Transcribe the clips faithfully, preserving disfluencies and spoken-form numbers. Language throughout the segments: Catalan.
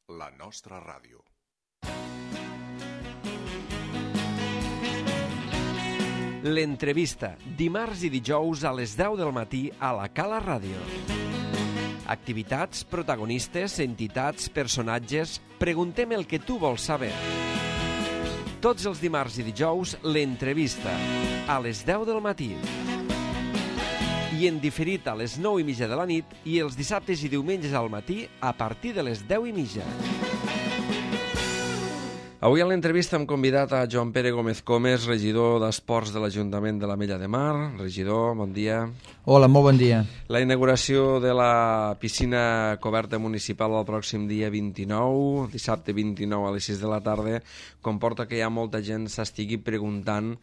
la nostra ràdio. L'entrevista, dimarts i dijous a les deu del matí a la Cala Ràdio. Activitats, protagonistes, entitats, personatges... Preguntem el que tu vols saber. Tots els dimarts i dijous, l'entrevista, a les deu del matí. I en diferit a les nou i mitja de la nit i els dissabtes i diumenges al matí a partir de les deu i mitja. Avui a l'entrevista hem convidat a Joan Pere Gómez Comes, regidor d'Esports de l'Ajuntament de l'Ametlla de Mar. Regidor, bon dia. Hola, molt bon dia. La inauguració de la piscina coberta municipal el pròxim dia vint-i-nou, dissabte vint-i-nou a les sis de la tarda, comporta que ja molta gent s'estigui preguntant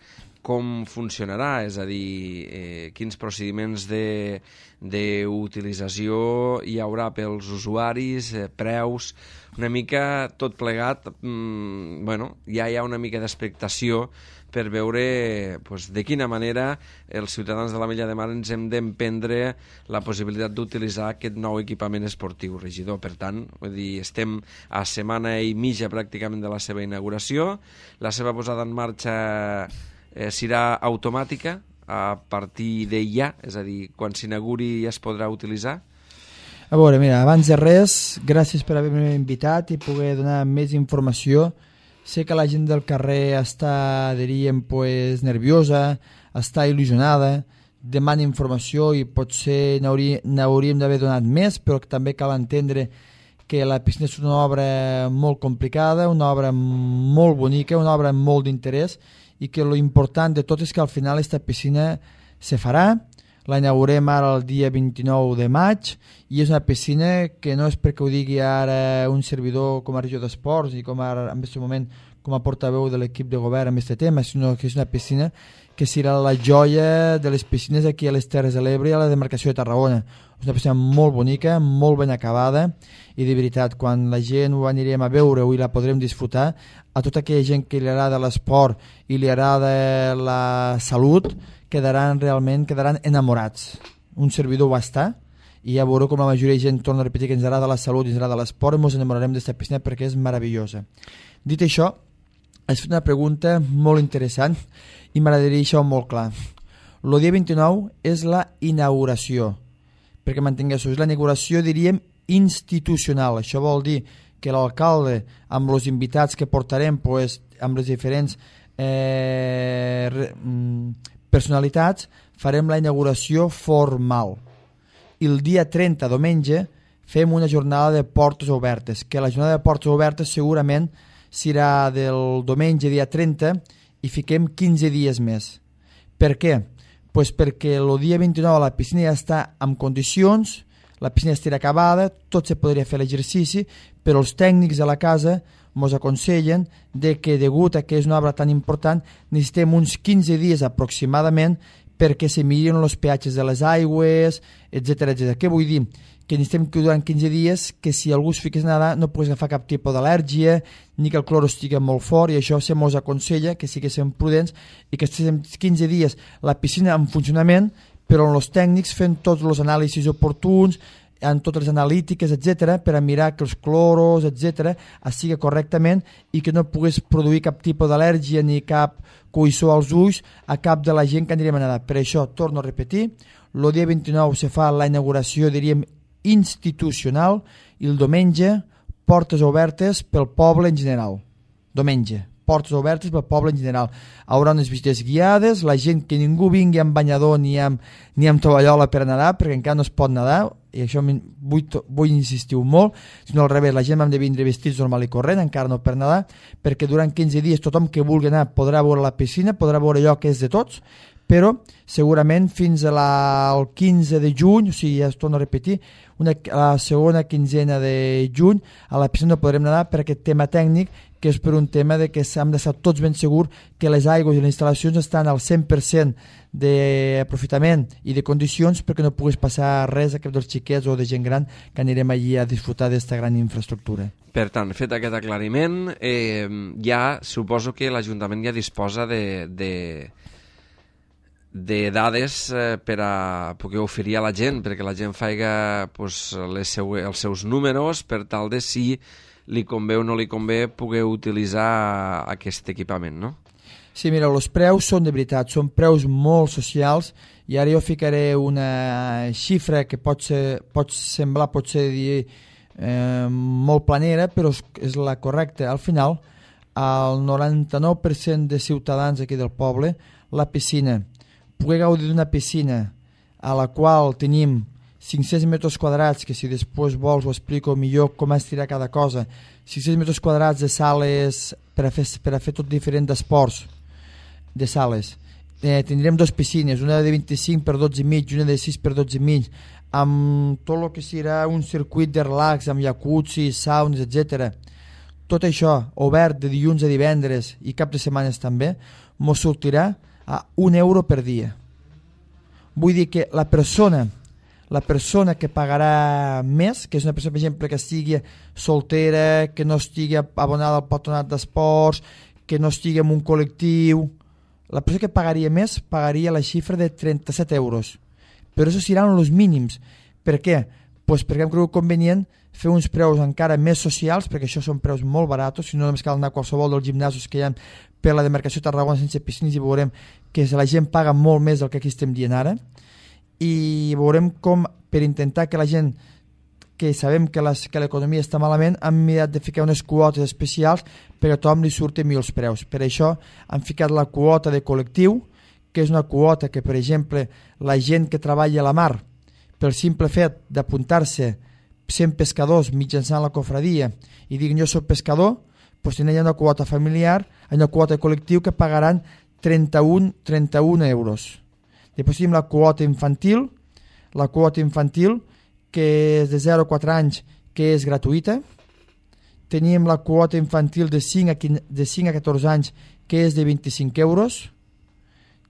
com funcionarà, és a dir, eh, quins procediments de, d'utilització hi haurà pels usuaris, eh, preus, una mica tot plegat. Mm, bueno, ja hi ha una mica d'expectació per veure pues, de quina manera els ciutadans de l'Ametlla de Mar ens hem d'emprendre la possibilitat d'utilitzar aquest nou equipament esportiu, regidor. Per tant, vull dir, estem a setmana i mitja pràcticament de la seva inauguració, la seva posada en marxa Eh, serà automàtica a partir de ja, és a dir, quan s'inauguri ja es podrà utilitzar? A veure, mira, abans de res, gràcies per haver-me invitat i poder donar més informació. Sé que la gent del carrer està, diríem, pues, nerviosa, està il·lusionada, demana informació i potser n'hauríem d'haver donat més, però també cal entendre que la piscina és una obra molt complicada, una obra molt bonica, una obra amb molt d'interès, i que lo important de tot és que al final aquesta piscina se farà, la inaugurem ara el dia vint-i-nou de maig i és una piscina que no és perquè ho digui ara un servidor com a regidor d'esports i com ara en aquest moment com a portaveu de l'equip de govern amb aquest tema, sinó que és una piscina que serà la joia de les piscines aquí a les Terres de l'Ebre i a la demarcació de Tarragona. És una piscina molt bonica, molt ben acabada i de veritat, quan la gent ho anirem a veure i la podrem disfrutar, a tota aquella gent que li agrada l'esport i li agrada la salut, quedaran realment quedaran enamorats. Un servidor va estar i ja veureu com la majoria de gent, torna a repetir, que ens agrada la salut i ens agrada l'esport, ens enamorarem d'aquesta piscina perquè és meravellosa. Dit això, has fet una pregunta molt interessant i m'agradaria deixar molt clar. El dia vint-i-nou és la inauguració, perquè mantingueu-ho, és la inauguració, diríem, institucional. Això vol dir que l'alcalde, amb els invitats que portarem, pues, amb les diferents eh, personalitats, farem la inauguració formal. I el dia trenta, diumenge, fem una jornada de portes obertes, que la jornada de portes obertes segurament serà del diumenge dia trenta i fiquem quinze dies més. Per què? Pues perquè el dia vint-i-nou la piscina ja està en condicions, la piscina estarà acabada, tot se podria fer l'exercici, però els tècnics de la casa ens aconsellen de que, degut a que és una obra tan important, necessitem uns quinze dies aproximadament perquè se mirin els peatges de les aigües, etcètera, etcètera. Què vull dir? Que necessitem que durant quinze dies que si algú es fiqués a nedar no pogués agafar cap tipus d'al·lèrgia ni que el cloro estigui molt fort, i això se mos aconsella que siguéssim prudents i que estiguéssim quinze dies la piscina en funcionament, però amb els tècnics fent tots els anàlisis oportuns, en totes les analítiques, etcètera, per a mirar que els cloros, etcètera, es siga correctament i que no pogués produir cap tipus d'al·lèrgia ni cap coïssor als ulls a cap de la gent que anirem a nedar. Per això, torno a repetir, el dia vint-i-nou se fa la inauguració, diríem, institucional, i el diumenge portes obertes pel poble en general. Diumenge, portes obertes pel poble en general. Hi haurà unes visites guiades, la gent que ningú vingui amb banyador ni amb, ni amb tovallola per nedar, perquè encara no es pot nedar, i això vull, vull insistir molt, sinó al revés, la gent hem de vindre vestits normal i corrent, encara no per nedar, perquè durant quinze dies tothom que vulgui anar podrà veure la piscina, podrà veure allò que és de tots, però segurament fins a la, el quinze de juny, o sigui, ja es torno a repetir, una, a la segona quinzena de juny a la piscina no podrem nedar per aquest tema tècnic, que és per un tema de que hem d'estar tots ben segurs que les aigües i les instal·lacions estan al cent per cent d'aprofitament i de condicions perquè no pogués passar res a cap dels xiquets o de gent gran que anirem allí a disfrutar d'aquesta gran infraestructura. Per tant, fet aquest aclariment, eh, ja suposo que l'Ajuntament ja disposa de... de... de dades eh, per a poder oferir a la gent, perquè la gent faiga pues, les seu, els seus números per tal de si li convé o no li convé poder utilitzar aquest equipament, no? Sí, mira, els preus són de veritat, són preus molt socials, i ara jo ficaré una xifra que pot, ser, pot semblar, pot ser dir, eh, molt planera, però és la correcta. Al final, el noranta-nou per cent de ciutadans aquí del poble, la piscina, poder gaudir d'una piscina a la qual tenim cinc-cents metres quadrats, que si després vols ho explico millor com estirar cada cosa, cinc-cents metres quadrats de sales per a fer, per a fer tot diferent d'esports, de sales. Eh, tindrem dues piscines, una de vint-i-cinc per dotze i mig, una de sis per dotze i mig, amb tot el que serà un circuit de relax, amb jacuzzi, saunes, etcètera. Tot això, obert de dilluns a divendres i cap de setmanes també, mos sortirà a un euro per dia. Vull dir que la persona, la persona que pagarà més, que és una persona, per exemple, que estigui soltera, que no estigui abonada al patronat d'esports, que no estigui en un col·lectiu, la persona que pagaria més pagaria la xifra de trenta-set euros. Però això seran els mínims. Per què? Pues perquè hem cregut convenient fer uns preus encara més socials, perquè això són preus molt baratos, si no només cal anar a qualsevol dels gimnasos que hi ha per la demarcació de Tarragona sense piscines i veurem que la gent paga molt més del que aquí estem dient ara, i veurem com per intentar que la gent que sabem que, les, que l'economia està malament, hem mirat de ficar unes quotes especials perquè a tothom li surti millor els preus. Per això hem ficat la quota de col·lectiu, que és una quota que, per exemple, la gent que treballa a la mar, pel simple fet d'apuntar-se cent pescadors mitjançant la cofradia i diguin jo soc pescador, doncs tenen una quota familiar, una quota de col·lectiu que pagaran trenta-un, trenta-un euros. Després tenim la quota infantil, la quota infantil que és de zero a quatre anys, que és gratuïta. Tenim la quota infantil de cinc a catorze anys, que és de vint-i-cinc euros.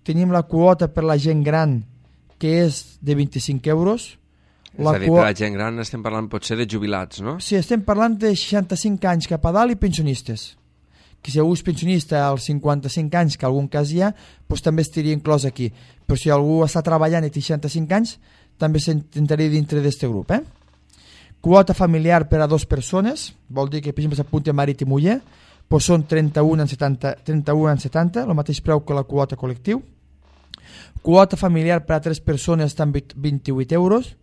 Tenim la quota per la gent gran, que és de vint-i-cinc euros. La és a dir, per la gent gran estem parlant potser de jubilats, no? Sí, estem parlant de seixanta-cinc anys cap a dalt i pensionistes. Que si algú és pensionista als cinquanta-cinc anys, que algun cas hi ha, doncs també estaria inclòs aquí. Però si algú està treballant i té seixanta-cinc anys, també s'intentaria dintre d'aquest grup. Eh? Quota familiar per a dues persones, vol dir que per exemple s'apunti a marit i muller, doncs són trenta-un en setanta, trenta-un en setanta, el mateix preu que la quota col·lectiu. Quota familiar per a tres persones està en vint-i-vuit euros.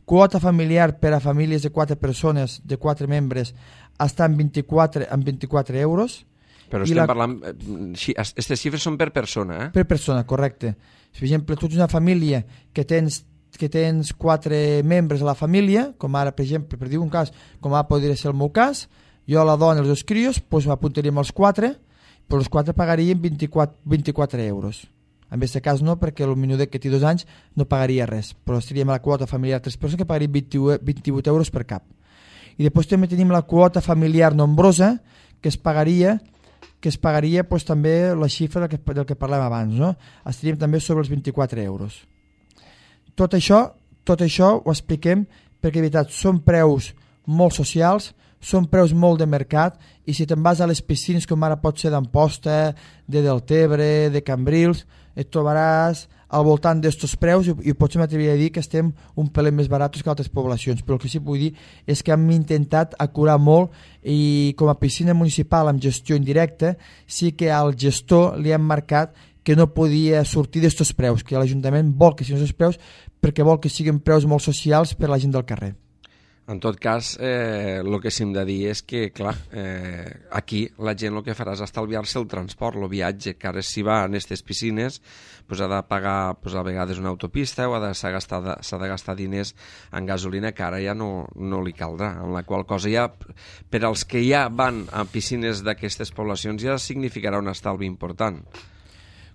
Quota familiar per a famílies de quatre persones, de quatre membres, està en vint-i-quatre, en vint-i-quatre euros. Però estem la... parlant... Aquestes xifres són per persona, eh? Per persona, correcte. Per exemple, tu ets una família que tens que tens quatre membres a la família, com ara, per exemple, per dir un cas, com ara podria ser el meu cas, jo, la dona i els dos crios, doncs m'apuntaríem els quatre, però els quatre pagarien vint-i-quatre, vint-i-quatre euros. En aquest cas no, perquè el menudet que té dos anys no pagaria res, però estaríem a la quota familiar tres persones que pagaria vint-i-vuit euros per cap. I després també tenim la quota familiar nombrosa, que es pagaria que es pagaria doncs, també la xifra del que, del que parlem abans, no? Estaríem també sobre els vint-i-quatre euros. Tot això, tot això ho expliquem perquè, de veritat, són preus molt socials, són preus molt de mercat, i si te'n vas a les piscines, com ara pot ser d'Amposta, de Deltebre, de Cambrils, et trobaràs al voltant d'estos preus i, i potser m'atreviria a dir que estem un pelet més baratos que altres poblacions, però el que sí que vull dir és que hem intentat acurar molt i com a piscina municipal amb gestió indirecta sí que al gestor li hem marcat que no podia sortir d'estos preus, que l'Ajuntament vol que siguin aquests preus perquè vol que siguin preus molt socials per a la gent del carrer. En tot cas, eh, el que sí hem de dir és que, clar, eh, aquí la gent el que farà és estalviar-se el transport, el viatge, que ara si va a aquestes piscines pues, ha de pagar pues, a vegades una autopista o s'ha de, gastar, s'ha de gastar diners en gasolina que ara ja no, no li caldrà, en la qual cosa ja, per als que ja van a piscines d'aquestes poblacions ja significarà un estalvi important.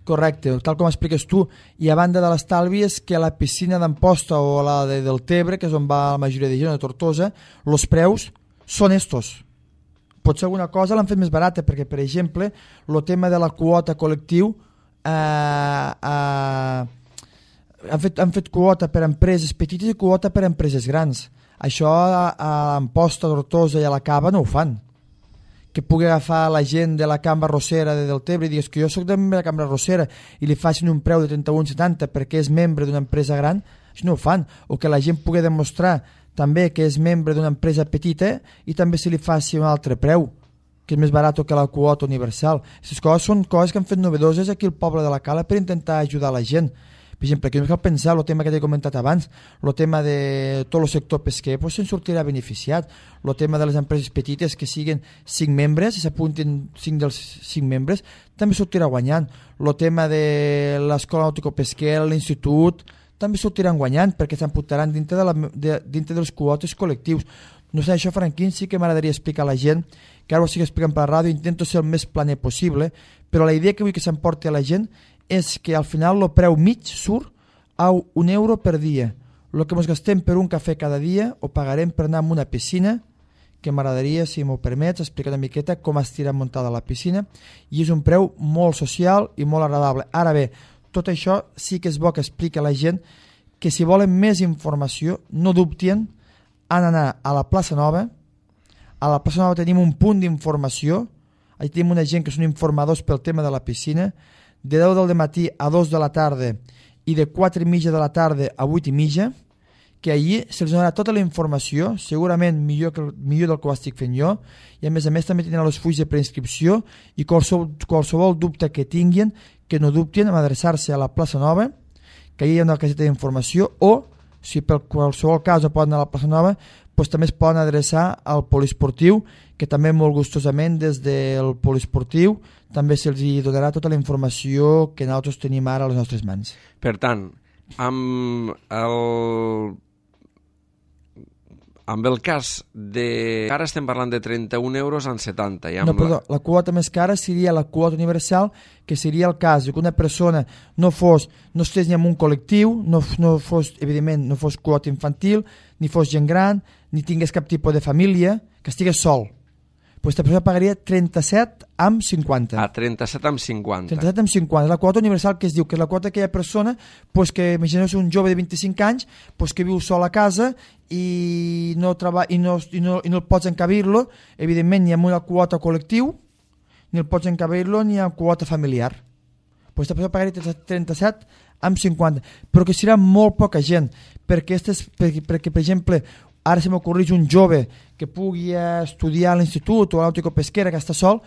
Correcte, tal com expliques tu, i a banda de l'estalvi és que a la piscina d'Amposta o a la de Deltebre, que és on va la majoria de gent, de Tortosa, els preus són estos. Potser alguna cosa l'han fet més barata, perquè, per exemple, el tema de la quota col·lectiu, eh, eh, han, fet, han fet quota per a empreses petites i quota per a empreses grans. Això a, a Amposta, a Tortosa i a la Cava no ho fan. que pugui agafar la gent de la cambra rossera de Deltebre i digues que jo soc de la cambra rossera i li facin un preu de trenta-un coma setanta perquè és membre d'una empresa gran, això no ho fan. O que la gent pugui demostrar també que és membre d'una empresa petita i també se li faci un altre preu, que és més barat que la quota universal. Aquestes coses són coses que han fet novedoses aquí al poble de la Cala per intentar ajudar la gent. Per exemple, aquí no cal pensar el tema que t'he comentat abans, el tema de tot el sector pesquer, doncs se'n sortirà beneficiat. El tema de les empreses petites que siguin cinc membres, si s'apuntin cinc dels cinc membres, també sortirà guanyant. El tema de l'escola nàutico-pesquera, l'institut, també sortiran guanyant perquè s'apuntaran dintre, de la, de, dintre dels quotes col·lectius. No sé, això, Franquín, sí que m'agradaria explicar a la gent, que ara ho estic explicant per la ràdio, intento ser el més planer possible, però la idea que vull que s'emporti a la gent és que al final el preu mig surt a un euro per dia. El que ens gastem per un cafè cada dia ho pagarem per anar a una piscina, que m'agradaria, si m'ho permets, explicar una miqueta com estirà muntada la piscina, i és un preu molt social i molt agradable. Ara bé, tot això sí que és bo que expliqui a la gent que si volen més informació, no dubtin, han d'anar a la plaça Nova. A la plaça Nova tenim un punt d'informació, allà tenim una gent que són informadors pel tema de la piscina, de deu del matí a dos de la tarda i de quatre i mitja de la tarda a vuit i mitja, que allí se'ls donarà tota la informació, segurament millor, que, millor del que ho estic fent jo, i a més a més també tindran els fulls de preinscripció i qualsevol, qualsevol dubte que tinguin, que no dubtin en adreçar-se a la plaça Nova, que allà hi ha una caseta d'informació, o si per qualsevol cas no poden anar a la plaça Nova, doncs també es poden adreçar al poliesportiu, que també molt gustosament des del poliesportiu també se'ls donarà tota la informació que nosaltres tenim ara a les nostres mans. Per tant, amb el, amb el cas de... Ara estem parlant de trenta-un euros en setanta. I amb no, perdó, la... la quota més cara seria la quota universal, que seria el cas que una persona no fos, no estigués ni en un col·lectiu, no, no fos, evidentment, no fos quota infantil, ni fos gent gran, ni tingués cap tipus de família, que estigués sol. Pues aquesta persona pagaria trenta-set amb cinquanta. Ah, trenta-set amb cinquanta. trenta-set amb cinquanta. La quota universal que es diu que és la quota d'aquella persona pues que, imagineu un jove de vint-i-cinc anys pues que viu sol a casa i no, treba, i no, i no, i no el pots encabir-lo, evidentment ni amb una quota col·lectiu, ni el pots encabir-lo ni amb quota familiar. Pues aquesta persona pagaria trenta-set amb cinquanta. Però que serà molt poca gent, perquè, estes, perquè, perquè per exemple, ara se m'ocorreix un jove que pugui estudiar a l'institut o a l'Nautico-Pesquera que està sol,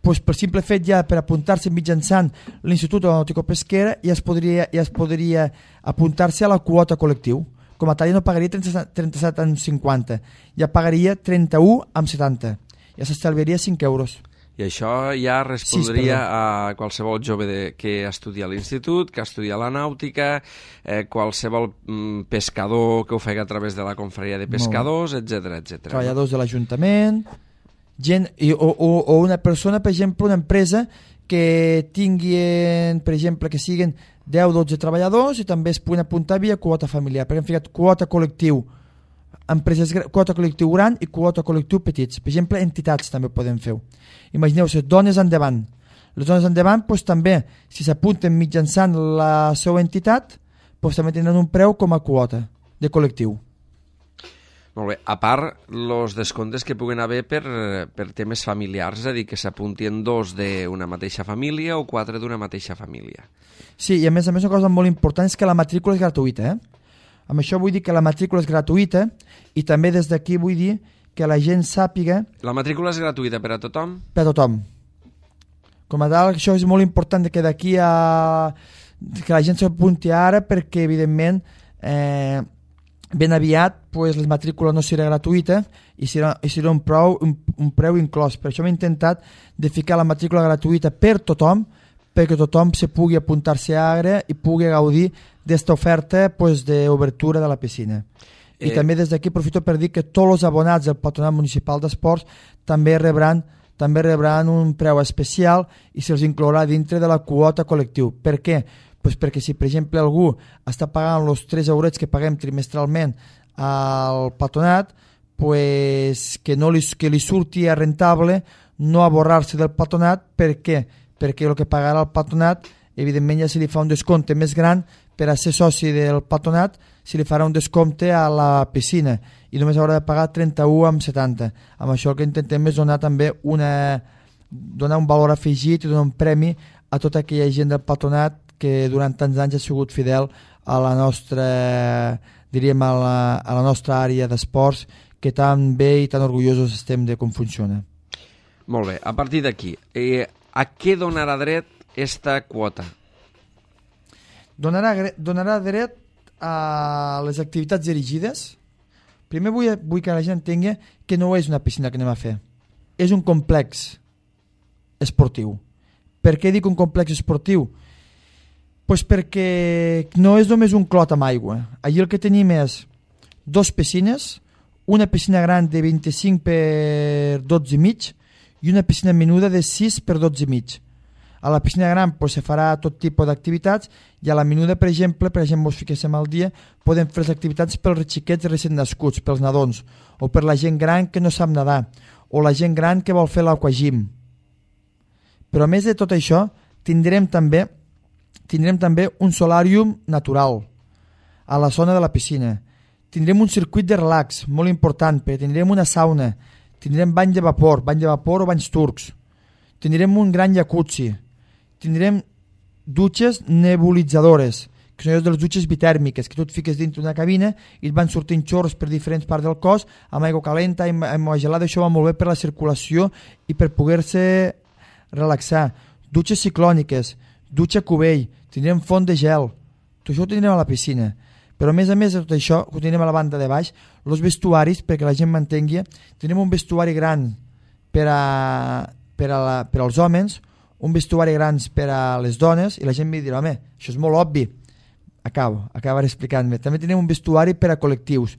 doncs per simple fet ja per apuntar-se mitjançant l'institut o la Nautico-Pesquera ja es podria, ja es podria apuntar-se a la quota col·lectiu. Com a tal ja no pagaria trenta-set amb cinquanta, ja pagaria trenta-u amb setanta. Ja s'estalviaria cinc euros. I això ja respondria sí, a qualsevol jove de, que estudia a l'institut, que estudia la nàutica, eh, qualsevol mm, pescador que ho faci a través de la confraria de pescadors, etcètera, etcètera. Treballadors no? de l'Ajuntament, gent, i, o, o, o una persona, per exemple, una empresa que tinguin, per exemple, que siguin deu o dotze treballadors i també es puguin apuntar via quota familiar, perquè hem ficat quota col·lectiu, empreses, quota col·lectiu gran i quota col·lectiu petits. Per exemple, entitats també podem fer. Imagineu-se, dones endavant. Les dones endavant, doncs, també, si s'apunten mitjançant la seva entitat, doncs, també tindran un preu com a quota de col·lectiu. Molt bé. A part, els descomptes que puguen haver per, per temes familiars, és a dir, que s'apuntien dos d'una mateixa família o quatre d'una mateixa família. Sí, i a més a més una cosa molt important és que la matrícula és gratuïta, eh? Amb això vull dir que la matrícula és gratuïta i també des d'aquí vull dir que la gent sàpiga... La matrícula és gratuïta per a tothom? Per a tothom. Com a tal, això és molt important que d'aquí a... que la gent s'apunti ara perquè, evidentment, eh, ben aviat pues, la matrícula no serà gratuïta i serà, i serà un, preu, un, un preu inclòs. Per això hem intentat de ficar la matrícula gratuïta per tothom, perquè tothom se pugui apuntar-se ara i pugui gaudir d'esta oferta pues, d'obertura de la piscina. Eh... I també des d'aquí aprofito per dir que tots els abonats del Patronat Municipal d'Esports també rebran, també rebran un preu especial i se'ls inclourà dintre de la quota col·lectiu. Per què? Pues perquè si, per exemple, algú està pagant els tres eurets que paguem trimestralment al patronat, pues que, no li, que li surti a rentable no aborrar-se del patronat. Per què? Perquè el que pagarà el patronat evidentment ja se li fa un descompte més gran per a ser soci del patronat se li farà un descompte a la piscina i només haurà de pagar trenta-u coma setanta. Amb això el que intentem és donar també una, donar un valor afegit i donar un premi a tota aquella gent del patronat que durant tants anys ha sigut fidel a la nostra, diríem, a la, a la nostra àrea d'esports, que tan bé i tan orgullosos estem de com funciona. Molt bé, a partir d'aquí, eh, a què donarà dret esta quota? Donarà, donarà dret a les activitats dirigides. Primer vull, vull que la gent entengui que no és una piscina que anem a fer, és un complex esportiu. Per què dic un complex esportiu? Pues perquè no és només un clot amb aigua. Allí el que tenim és dos piscines, una piscina gran de vint-i-cinc per dotze i mig i una piscina menuda de sis per dotze i mig. A la piscina gran pues, se farà tot tipus d'activitats i a la menuda, per exemple, per exemple, us fiquéssim al dia, podem fer les activitats pels xiquets recent nascuts, pels nadons, o per la gent gran que no sap nedar, o la gent gran que vol fer l'aquagym. Però a més de tot això, tindrem també, tindrem també un solàrium natural a la zona de la piscina. Tindrem un circuit de relax molt important, perquè tindrem una sauna, tindrem bany de vapor, bany de vapor o banys turcs, tindrem un gran jacuzzi, tindrem dutxes nebulitzadores, que són les dutxes bitèrmiques, que tu et fiques dintre d'una cabina i et van sortint xorros per diferents parts del cos, amb aigua calenta i amb aigua gelada. Això va molt bé per la circulació i per poder-se relaxar. Dutxes ciclòniques, dutxa cubell, tindrem font de gel, tot això ho tindrem a la piscina. Però a més a més de tot això, ho tindrem a la banda de baix, els vestuaris, perquè la gent m'entengui, tindrem un vestuari gran per, a, per, a la, per als homes, un vestuari grans per a les dones, i la gent em dirà, home, això és molt obvi. Acabo, acabaré explicant-me. També tenim un vestuari per a col·lectius.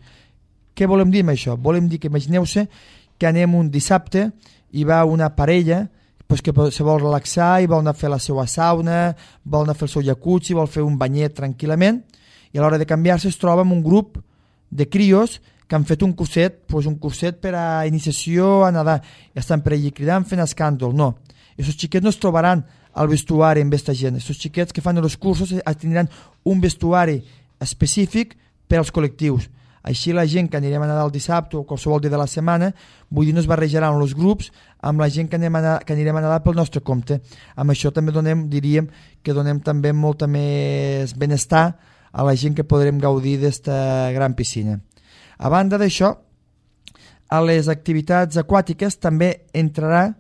Què volem dir amb això? Volem dir que imagineu-se que anem un dissabte i va una parella pues, que se vol relaxar i vol anar a fer la seva sauna, vol anar a fer el seu jacuzzi, vol fer un banyet tranquil·lament, i a l'hora de canviar-se es troba amb un grup de crios que han fet un curset, pues un curset per a iniciació a nedar, i estan per allí cridant, fent escàndol. No, aquests xiquets no es trobaran al vestuari amb aquesta gent. Aquests xiquets que fan els cursos tindran un vestuari específic per als col·lectius. Així la gent que anirem a nedar el dissabte o qualsevol dia de la setmana, vull dir, no es barrejaran els grups amb la gent que, anem a nedar, que anirem a nedar pel nostre compte. Amb això també donem, diríem que donem també molta més benestar a la gent que podrem gaudir d'esta gran piscina. A banda d'això, a les activitats aquàtiques també entrarà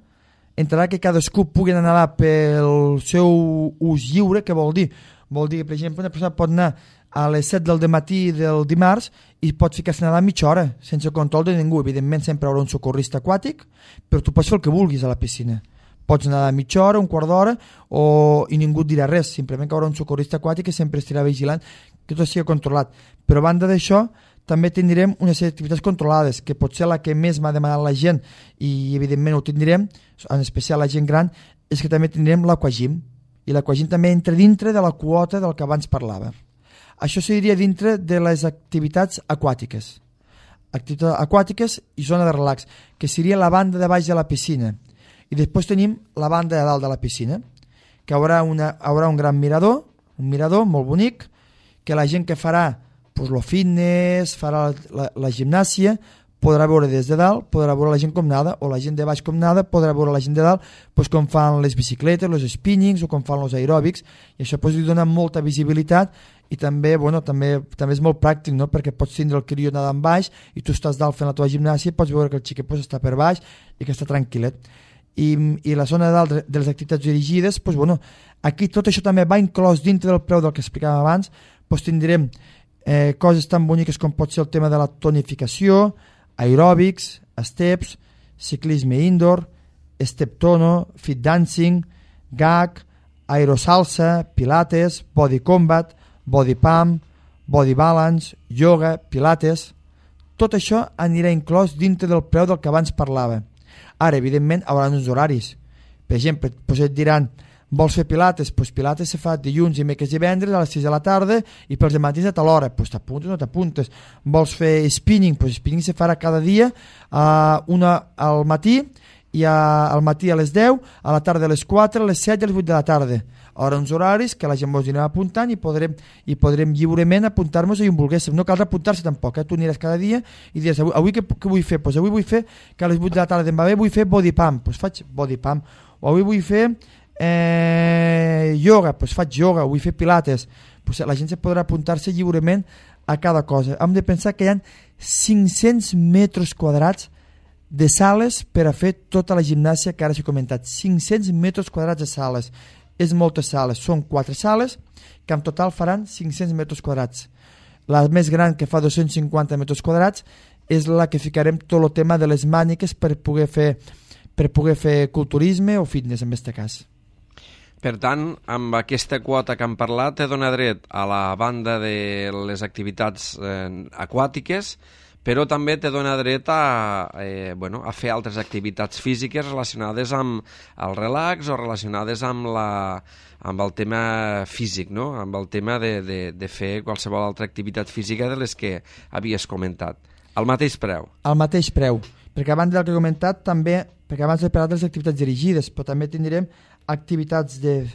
entrarà que cadascú pugui anar a nedar pel seu ús lliure. Què vol dir? Vol dir que, per exemple, una persona pot anar a les set del matí del dimarts i pot ficar-se a nedar mitja hora, sense control de ningú. Evidentment sempre hi haurà un socorrista aquàtic, però tu pots fer el que vulguis a la piscina. Pots nedar mitja hora, un quart d'hora, o... i ningú et dirà res, simplement que hi haurà un socorrista aquàtic que sempre estarà vigilant que tot sigui controlat. Però a banda d'això, també tindrem unes activitats controlades, que pot ser la que més m'ha demanat la gent, i evidentment ho tindrem, en especial la gent gran, és que també tindrem l'aquagym, i l'aquagym també entra dintre de la quota del que abans parlava. Això seria dintre de les activitats aquàtiques. Activitats aquàtiques i zona de relax, que seria la banda de baix de la piscina. I després tenim la banda de dalt de la piscina, que haurà, una, haurà un gran mirador, un mirador molt bonic, que la gent que farà pues, lo fitness, farà la, la, la gimnàsia, podrà veure des de dalt, podrà veure la gent com nada, o la gent de baix com nada, podrà veure la gent de dalt pues, com fan les bicicletes, els spinnings o com fan els aeròbics, i això pues, li dona molta visibilitat i també, bueno, també, també és molt pràctic, no? Perquè pots tindre el crió nedant baix i tu estàs dalt fent la teva gimnàsia i pots veure que el xiquet pues, està per baix i que està tranquil·let. I, i la zona de dalt de les activitats dirigides, pues, bueno, aquí tot això també va inclòs dintre del preu del que explicàvem abans, pues, tindrem Eh, coses tan boniques com pot ser el tema de la tonificació, aeròbics, steps, ciclisme indoor, step tono, fit dancing, gag, aerosalsa, pilates, body combat, body pump, body balance, yoga, pilates. Tot això anirà inclòs dintre del preu del que abans parlava. Ara, evidentment, hi haurà uns horaris. Per exemple, doncs et diran, vols fer pilates? Doncs pilates se fa dilluns, dimecres i divendres a les sis de la tarda i pels matins a tal hora. Doncs t'apuntes o no t'apuntes. Vols fer spinning? Doncs spinning se farà cada dia, uh, una al matí, i a, al matí a les deu, a la tarda a les quatre, a les set i a les vuit de la tarda. Haurà uns horaris que la gent ens anirà apuntant i podrem, i podrem lliurement apuntar-nos i on volguéssim. No cal apuntar-se tampoc, eh? Tu aniràs cada dia i diràs, avui, avui què, què vull fer? Pues avui vull fer que a les vuit de la tarda em va bé, vull fer body pump, pues faig body pump. O avui vull fer eh, yoga, pues faig yoga, o vull fer pilates. Pues la gent se podrà apuntar-se lliurement a cada cosa. Hem de pensar que hi ha cinc-cents metres quadrats de sales per a fer tota la gimnàsia que ara s'he comentat. cinc-cents metres quadrats de sales. És moltes sales. Són quatre sales que en total faran cinc-cents metres quadrats. La més gran, que fa dos-cents cinquanta metres quadrats, és la que ficarem tot el tema de les màniques per poder fer, per poder fer culturisme o fitness en aquest cas. Per tant, amb aquesta quota que hem parlat, te dona dret a la banda de les activitats eh, aquàtiques, però també te dona dret a, eh, bueno, a fer altres activitats físiques relacionades amb el relax o relacionades amb, la, amb el tema físic, no? Amb el tema de, de, de fer qualsevol altra activitat física de les que havies comentat. Al mateix preu? Al mateix preu, perquè abans del que he comentat també, perquè abans he parlat de les activitats dirigides, però també tindrem activitats de,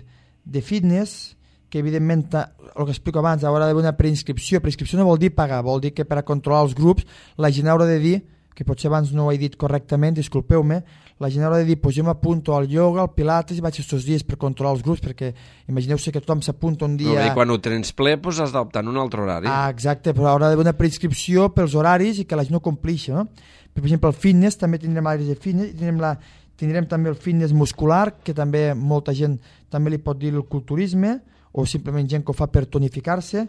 de fitness, que evidentment, el que explico abans, haurà d'haver una preinscripció. Preinscripció no vol dir pagar, vol dir que per a controlar els grups la gent haurà de dir, que potser abans no ho he dit correctament, disculpeu-me, la gent haurà de dir, pues jo m'apunto al yoga, al pilates i vaig aquests dies per controlar els grups, perquè imagineu-se que tothom s'apunta un dia... No, i quan ho tens ple, pues has d'optar en un altre horari. Ah, exacte, però haurà d'haver una preinscripció pels horaris i que la gent no complixi, no? Per exemple, el fitness, també tindrem àrees de fitness, tindrem, la, tindrem també el fitness muscular, que també molta gent també li pot dir el culturisme, o simplement gent que ho fa per tonificar-se.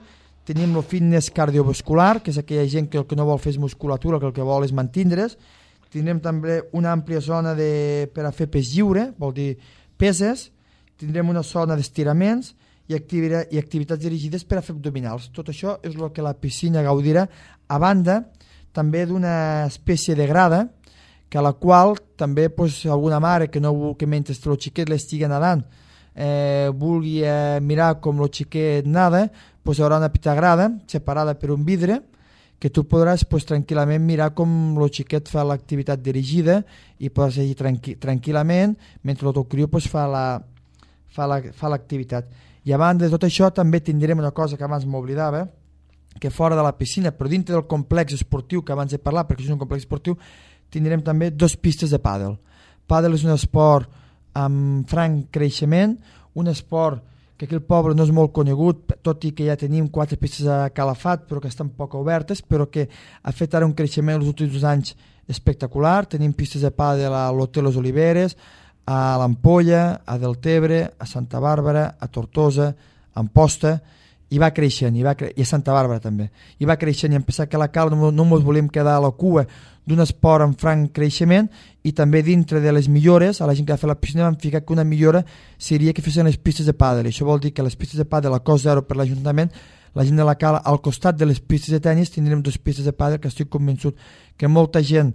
Tenim el fitness cardiovascular, que és aquella gent que el que no vol fer és musculatura, que el que vol és mantindre's. Tindrem també una àmplia zona de, per a fer pes lliure, vol dir peses. Tindrem una zona d'estiraments i, activi- i activitats dirigides per a fer abdominals. Tot això és el que la piscina gaudirà, a banda també d'una espècie de grada, que a la qual també pues, alguna mare que, no, que mentre el xiquet l'estigui nedant eh, vulgui eh, mirar com el xiquet nada, pues, hi haurà una petita grada separada per un vidre que tu podràs pues, tranquil·lament mirar com el xiquet fa l'activitat dirigida i podràs seguir tranqui tranquil·lament mentre el teu criu pues, fa la, fa la, fa l'activitat. I a banda de tot això també tindrem una cosa que abans m'oblidava, que fora de la piscina, però dintre del complex esportiu que abans he parlat, perquè és un complex esportiu, tindrem també dos pistes de pàdel. Pàdel és un esport amb franc creixement, un esport que aquí al poble no és molt conegut, tot i que ja tenim quatre pistes a Calafat, però que estan poc obertes, però que ha fet ara un creixement els últims anys espectacular. Tenim pistes de pàdel a l'Hotel Les Oliveres, a l'Ampolla, a Deltebre, a Santa Bàrbara, a Tortosa, a Amposta, i va creixent, i, va cre... i a Santa Bàrbara també, i va creixent, i em pensava que a la Cal no, no ens volíem quedar a la cua d'un esport en franc creixement, i també dintre de les millores, a la gent que va fer la piscina vam ficar que una millora seria que fessin les pistes de pàdel, i això vol dir que les pistes de pàdel a cost zero per l'Ajuntament, la gent de la Cal, al costat de les pistes de tennis tindrem dues pistes de pàdel, que estic convençut que molta gent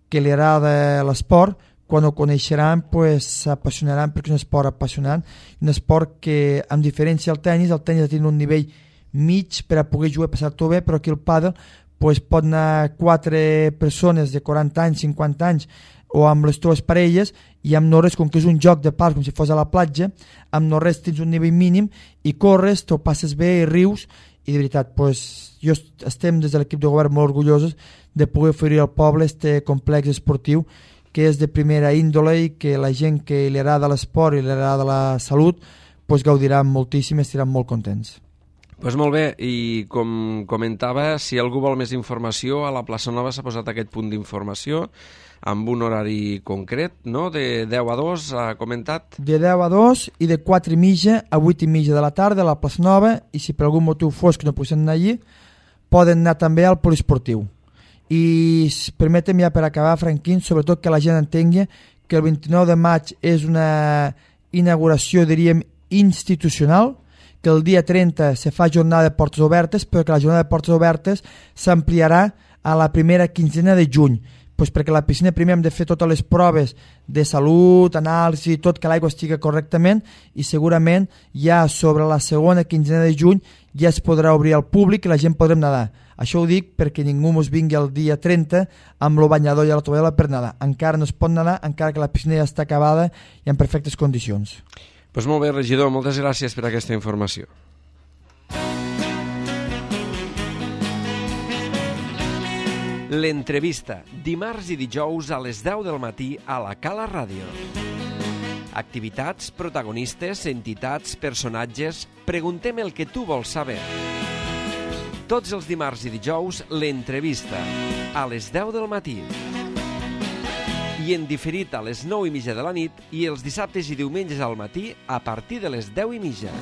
que li agrada l'esport, quan ho coneixeran pues, s'apassionaran, perquè és un esport apassionant, un esport que, amb diferència al tennis, el tennis té un nivell mig per a poder jugar i passar-t'ho bé, però aquí el pàdel pues, pot anar quatre persones de quaranta anys, cinquanta anys, o amb les teves parelles, i amb no res, com que és un joc de pals, com si fos a la platja, amb no res tens un nivell mínim, i corres, t'ho passes bé i rius, i de veritat, pues, jo estem des de l'equip de govern molt orgullosos de poder oferir al poble este complex esportiu que és de primera índole i que la gent que li agrada l'esport i li agrada la salut pues, gaudiran moltíssim i estaran molt contents. Pues molt bé, i com comentava, si algú vol més informació, a la plaça Nova s'ha posat aquest punt d'informació amb un horari concret, no? De deu a dos, ha comentat? De deu a dos i de quatre i mitja a vuit i mitja de la tarda a la plaça Nova, i si per algun motiu fos que no poguessin anar allí, poden anar també al poliesportiu. I permetem ja per acabar, Franquín, sobretot que la gent entengui que el vint-i-nou de maig és una inauguració, diríem, institucional, que el dia trenta se fa jornada de portes obertes, però que la jornada de portes obertes s'ampliarà a la primera quinzena de juny, pues perquè a la piscina primer hem de fer totes les proves de salut, anàlisi, tot, que l'aigua estigui correctament, i segurament ja sobre la segona quinzena de juny ja es podrà obrir al públic i la gent podrem nedar. Això ho dic perquè ningú ens vingui el dia trenta amb el banyador i la tovallera per nedar. Encara no es pot nedar, encara que la piscina ja està acabada i en perfectes condicions. Doncs molt bé, regidor, moltes gràcies per aquesta informació. L'entrevista, dimarts i dijous a les deu del matí a la Cala Ràdio. Activitats, protagonistes, entitats, personatges... Preguntem el que tu vols saber. Tots els dimarts i dijous, l'entrevista, a les deu del matí. I en diferit a les nou i mitja de la nit i els dissabtes i diumenges al matí a partir de les deu i mitja.